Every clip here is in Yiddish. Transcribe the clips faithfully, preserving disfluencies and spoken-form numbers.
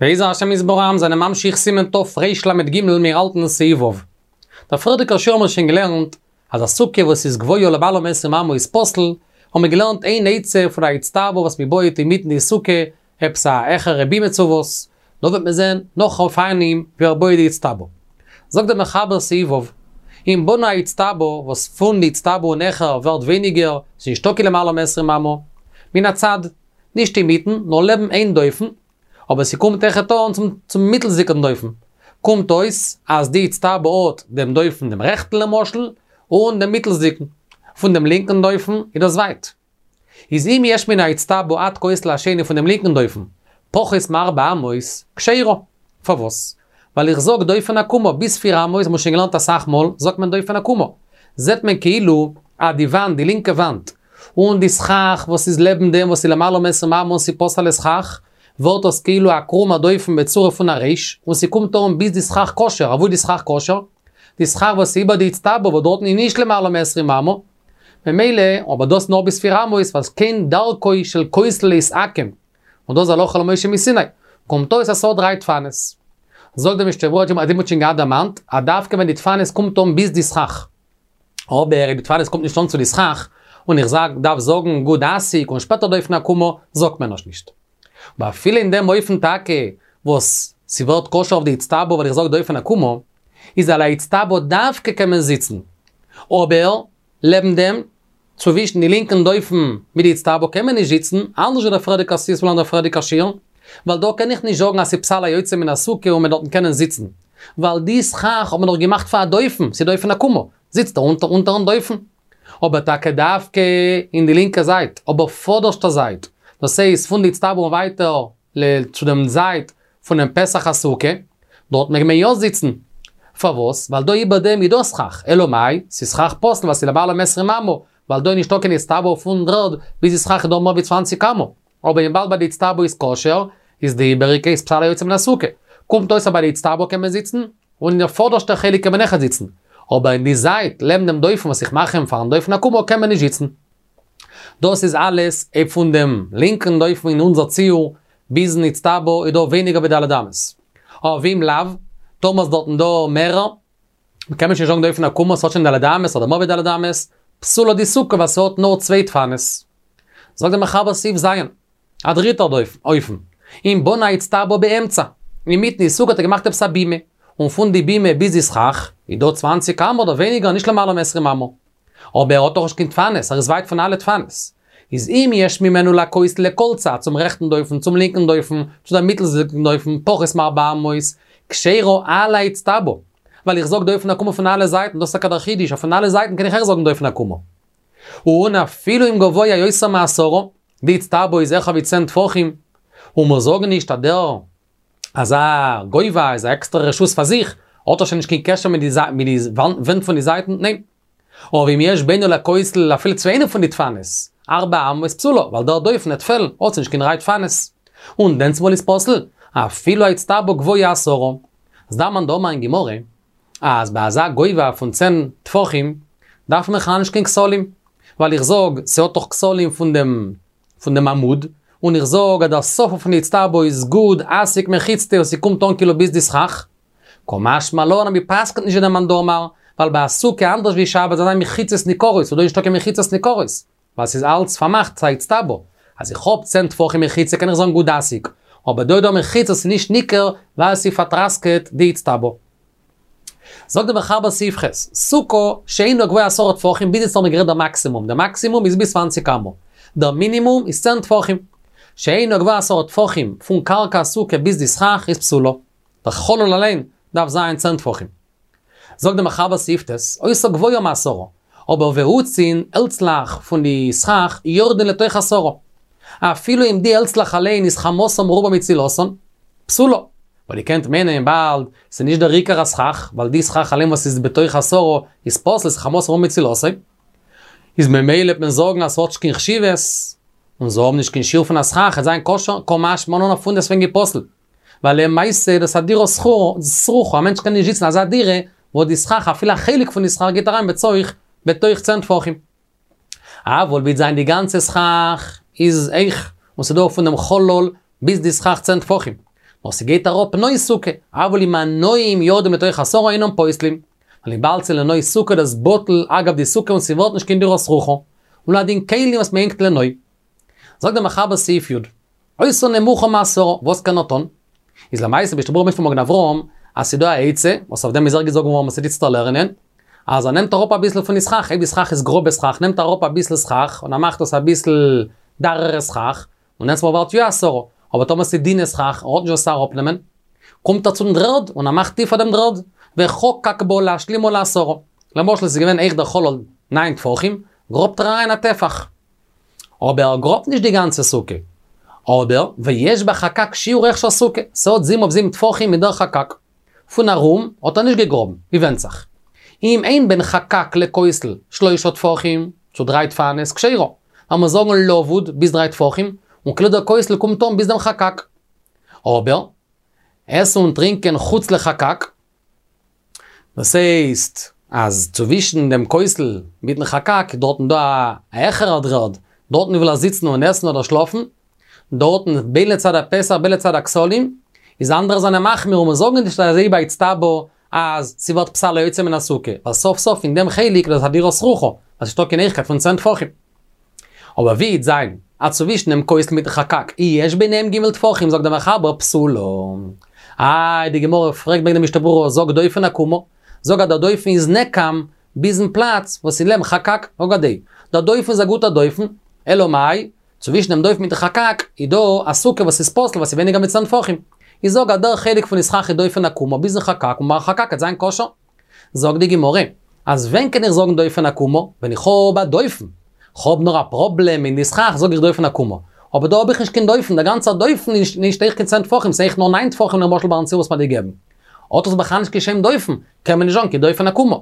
בעזר השם יתברך זענען ממשיך סימן תרל"ג מיר האלטן סעיף ו'. דער פריערדיגער שיעור האבן מיר שוין געלערנט אז א סוכה וואס איז גבוה למעלה מעשרים אמה איז פסול, האבן מיר געלערנט איין עצה פון א איצטבא וואס מען בויעט אינמיטן די סוכה, עפעס א העכערע בימה צו וואס, דא וועט מען זען נאך אופנים ווי ער בויעט די איצטבא. זאגט דער מחבר סעיף ו', אם בנה האיצטבא וואס פון די איצטבא און העכער ווערט ווייניגער, ס'איז נישטא קיין למעלה מעשרים אמה, מן הצד, נישט אינמיטן, נאר לעבן איין דופן, אבער ס'קומט אויכעט אן צום צום מיטלסדיגן דופן. קומט אויס אז די איצטבא האט דעם דופן דעם רעכטן למשל, און דעם מיטלסדיגן. פון דעם לינקן דופן איז דאס ווייט. איז אם יש מן האיצטבא עד כותל השני פון דעם לינקן דופן, פחות מארבע אמות, כשרה. פארוואס? ווייל איך זאג דופן עקומה, ביז פיר אמות, האבן מיר שוין געלערנט אסאך מאל, זאגט מען דופן עקומה. זעט מען כאילו אז די וואנט, די לינקע וואנט, און די סכך וואס איז לעבן דעם וואס איז למעלה מעשרים אמה און ס'פסול'ע סכך, ווערט דאס כאילו א קרומע דופן בצורה פון א ריש, און ס'קומט אן ביז די סכך כשר, אוואו איז די סכך כשר? די סכך וואס איז איבער די איצטבא וואס דארטן איז נישט למעלה מעשרים אמה, ממילא, אבער דאס נאר ביז פיר אמות, ווייל כן דרכו של כותל להתעקם, און דאס איז הלכה למשה מסיני, קומט אויס אז ס'האט דריי דפנות. זאגט דער משנה ברורה, אז מ'האט שוין געהאט דערמאנט, אז דווקא ווען די דפנות קומט אן ביז די סכך. אבער אויב די דפנות קומט נישט אן צו די סכך, און איך זאג דארף זאגן גוד אסיק און שפעטער דופן עקומה, זאגט מען עס נישט. אבער אפילו אין דעם אופן טאקע וואס ס'ווערט כשר אויף די איצטבא ווייל איך זאג דופן עקומה, איז על האיצטבא דווקא קען מען זיצן. אבער לעבן דעם, צווישן די לינקן דופן מיט די איצטבא קען מען נישט זיצן, אנדערש ווי דער פריערדיגער סעיף פון דער פריערדיגער שיעור, ווייל דא קען איך נישט זאגן אז ס'פסל היוצא מן הסוכה און מען דארטן קענען זיצן, ווייל די סכך האט מען דאך געמאכט פאר א דופן, ס'איז דופן עקומה, זיצט ער אונטער אונטערן דופן. אבער טאקע דווקא אין די לינקע זייט, אבער פאדערשטע זייט, דאס הייסט פון די איצטבא און ווייטער צו דעם זייט פונעם פתח הסוכה, דארט מעג מען יא זיצן. פארוואס? ווייל דא איבער דעם איז דא סכך, אלא מאי, ס'איז סכך פסול ווייל ס'איז למעלה מעשרים אמה, ווייל דא איז נישטא קיין איצטבא פון דר'ערד ביז די סכך איז דא מער ווי צוואַנציק אמה. אבער וויבאלד ביי די איצטבא איז כשר, איז די איבעריגע איז פסל היוצא מן הסוכה. קומט אויס אז ביי די איצטבא קען מען זיצן, און אין די פאדערשטע חלק קען מען אויכעט זיצן. אבער אין די זייט לעבן דעם דופן וואס איך מאך אים פארן דופן עקומה קען מען נישט זיצן. דאס איז אלעס אויב פון דעם לינקן דופן אין אונזער ציור ביזן איצטבא איז דא ווייניגער ווי ד' אמות. אבער ואם לאו, טאמער איז דארטן דא מערער, קען מען שוין זאגן דופן עקומה ס'האט שוין ד' אמות אדער מער ווי ד' אמות, פסולה די סוכה ווייל ס'האט נאר צוויי דפנות. זאגט דער מחבר סעיף ז', א דריטער אופן, אם בנה האיצטבא באמצע, אינמיטן די סוכה האט ער געמאכט עפעס א בימה, און פון די בימה ביז די סכך איז דא צוואַנציק אמה אדער ווייניגער נישט למעלה מעשרים אמה. אבער ער האט דאך נישט קיין דפנות, ער איז ווייט פון אלע דפנות. איז אם יש ממנו לכותל לכל צד, צום רעכטן דופן, צום לינקן דופן, צו דעם מיטלסדיגן דופן, פחות מארבע אמות, כשרה על האיצטבא. ווייל איך זאג דופן עקומה פון אלע זייטן, דאס איז טאקע דער חידוש, אז פון אלע זייטן קען איך אויך זאגן דופן עקומה. און אפילו אם גבוה יותר מעשרה, די איצטבא איז העכער ווי צען טפחים, און מיר זאגן נישט אז דער אזא גובה איז א עקסטערע רשות פאר זיך, האט ער שוין נישט קיין קשר מיט די ווענט פון די זייטן, ניין. אבער אם יש בינו לכותל אפילו צו איינע פון די דפנות, ארבע אמות פסולה, ווייל דער דופן וועט פעלן, האט זי נישט קיין דריי דפנות. און דענסמאל איז פסול, אפילו האיצטבא גבוה עשרה. אז דער מאן דאמר אין גמרא, אז ביי אזא גובה פון צען טפחים, דארף מען בכלל נישט קיין כתלים, ווייל איך זאג, ס'האט דאך כתלים פון דעם פון דעם עמוד, און איך זאג אז דער סוף פון די איצטבא איז גוד אסיק מחיצתא און ס'קומט אן כאילו ביז די סכך. קא משמע לן אז מ'פסק'נט נישט ווי דער מאן דאמר, ווייל ביי א סוכה אנדערש ווי שבת זאל זיין מחיצות ניכרות, ס'איז דא נישטא קיין מחיצות ניכרות, ווייל ס'איז אלץ פארמאכט, ס'איז א איצטבא. אז איך האב צען טפחים מחיצה קען איך זאגן גוד אסיק, אבער דא איז דא מחיצות ס'איז נישט ניכר ווייל ס'פארטראסקעט די איצטבא. זאגט דער מחבר סעיף ח', סוכה שאינה גבוהה עשרה טפחים, ביז יעצט האבן מיר גערעדט דער מאקסימום, דער מאקסימום איז ביז צוואַנציק אמה, דער מינימום איז צען טפחים, שאינה גבוהה עשרה טפחים פון קרקע הסוכה ביז די סכך איז פסולה, דער חלל אליין דארף זיין צען טפחים. זאגט דער מחבר סעיף ט', היתה גבוהה מעשרה, אבער והעצין העלצלעך פון די סכך יורדין לתוך עשרה, אפילו אם די העלצלעך אליין איז חמתן מרובה מצילתן, פסולה. ווייל איר קענט מיינען באלד, ס'איז נישט דער עיקר הסכך, ווייל די סכך אליין וואס איז בתוך עשרה איז פסול, ס'איז חמתן מרובה מצילתו. איז ממילא וועט מען זאגן אז ס'האט נישט קיין חשיבות, און זיי האבן נישט קיין שיעור פון א סכך, עס זיין כשר, קא משמע לן אז פונדעסטוועגן פסול. ווייל למעשה דאס א דירה סרוחה, א מענטש קען נישט זיצן אין אזא דירה, וואו די סכך, אפילו א חלק פון די סכך גייט אריין בתוך, בתוך צען טפחים. אבל וועט זיין די גאנצע סכך איז הויך, און ס'דא פון דעם חלל ביז די סכך צען טפחים. נאר ס'גייט אראפ נוי סוכה, אבל אם הנויים יורדים לתוך עשרה אינם פוסלים. ווייל וויבאלד ס'איז לנוי סוכה דאס בטל אגב די סוכה און ס'ווערט נישט קיין דירה סרוחה. און הדין כלים וואס מ'הענגט לנוי. זאגט דער מחבר סעיף י', היתה נמוכה מעשרה, וואס קען ער טון? איז למעשה משנה ברורה ברענגט פון מגן אברהם, אז ס'דא א עצה, וואס אויף דעם איז ער געזאגט געווארן וואס מ'טוט לערנען, אז ער נעמט אראפ אביסל פון די סכך, אויב די סכך איז גראבע סכך, נעמט ער אראפ אביסל סכך, און ער מאכט עס אביסל דארערע סכך, און דענסמאל ווערט יא עשרה, אבער טאמער ס'איז דינע סכך, ער האט נישט וואס אראפנעמען, קומט ער צום דר'ערד, און ער מאכט טיפער דעם דר'ערד, וחקק בה להשלימה לעשרה. למשל ס'איז געווען הויך דער חלל ניין טפחים, גראבט ער אריין א טפח. אבער ער גראבט נישט די גאנצע סוכה. אדער, ויש בחקק שיעור הכשר סוכה, ס'האט זיבן אויף זיבן טפחים מיט דער חקק. פון ארום האט ער נישט געגראבן, ווי ווענדט זיך. אם אין בין חקק לכותל שלושה טפחים, צו דריי דפנות, כשרה. לאמיר זאגן לבוד ביז דריי טפחים, און כאילו דער כותל קומט אן ביז דעם חקק. אבער, עסן און טרינקען חוץ לחקק, דאס הייסט, אז צווישן דעם כותל מיטן חקק איז דארטן דא א העכערער דר'ערד, דארטן וויל ער זיצן און עסן אדער שלאפן, דארטן בין לצד הפתח בין לצד הכתלים, איז אנדערע זענען מחמיר און זאגן נישט אזוי באיצטבא אז ס'ווערט פסל היוצא מן הסוכה, ווייל סוף סוף אין דעם חלק איז דאס א דירה סרוחה, אז ס'נישטא קיין הויכקייט פון צען טפחים. אבער ווי וועט זיין אז צווישן דעם כותל מיטן חקק יש ביניהם ג' טפחים זאגט דער מחבר פסולה. איי די גמרא פרעגט וועגן די משנה ברורה זאג דופן עקומה, זאג אז דער דופן איז נעקם ביזן פלאץ וואס איז לעבן חקק, זאג אזוי, דער דופן איז א גוטער דופן, אלא מאי, צווישן דעם דופן מיטן חקק איז דא א סוכה וואס איז פסול וואס איז ווייניגער מיט צען טפחים. איך זאג אז דער חלק פון די סכך איז דופן עקומה ביזן חקק און ביים חקק וועט זיין כשר. זאגט די גמרא, אז ווען קען איך זאגן דופן עקומה? ווען איך האב א דופן. כ'האב נאר א פראבלעם אין די סכך זאג איך דופן עקומה. אבער דא האב איך נישט קיין דופן, דער גאנצער דופן איז נישט הויך קיין צען טפחים, ס'איז הויך נאר ניין טפחים למשל ביים ציור וואס מ'האט געגעבן. האט עס בכלל נישט קיין שם דופן, קען מען נישט זאגן קיין דופן עקומה.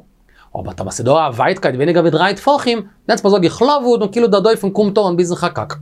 אבער טאמער ס'איז דא א ווייטקייט ווייניגער ווי דריי טפחים, דענסמאל זאג איך לבוד און כאילו דער דופן קומט אן ביזן חקק.